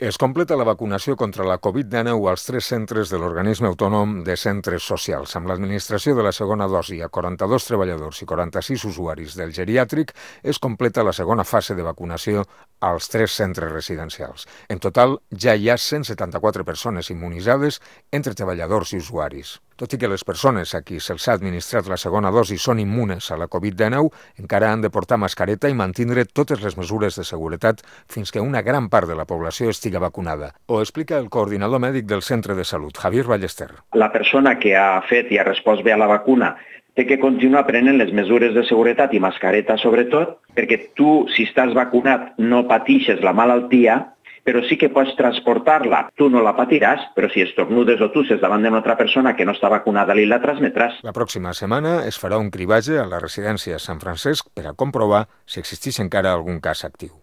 Es completa la vacunació contra la Covid-19 als 3 centres de l'Organisme Autònom de Centres Socials. Amb l'administració de la segona dosi a 42 treballadors i 46 usuaris del geriàtric, es completa la segona fase de vacunació als 3 centres residencials. En total, ja hi ha 174 persones immunitzades entre treballadors i usuaris. Tot i que les persones a qui se'ls ha administrat la segona dosi són immunes a la Covid-19, encara han de portar mascareta i mantindre totes les mesures de seguretat fins que una gran part de la població estigui vacunada. Ho explica el coordinador mèdic del centre de salut, Javier Ballester. La persona que ha fet i ha respost bé a la vacuna té que continuar prenent les mesures de seguretat i mascareta sobretot, perquè tu, si estàs vacunat, no patixes la malaltia, però sí que pots transportar-la. Tu no la patiràs, però si estornudes o tusses davant d'una altra persona que no està vacunada, li la transmetràs. La pròxima setmana es farà un cribatge a la residència Sant Francesc per a comprovar si existeix encara algun cas actiu.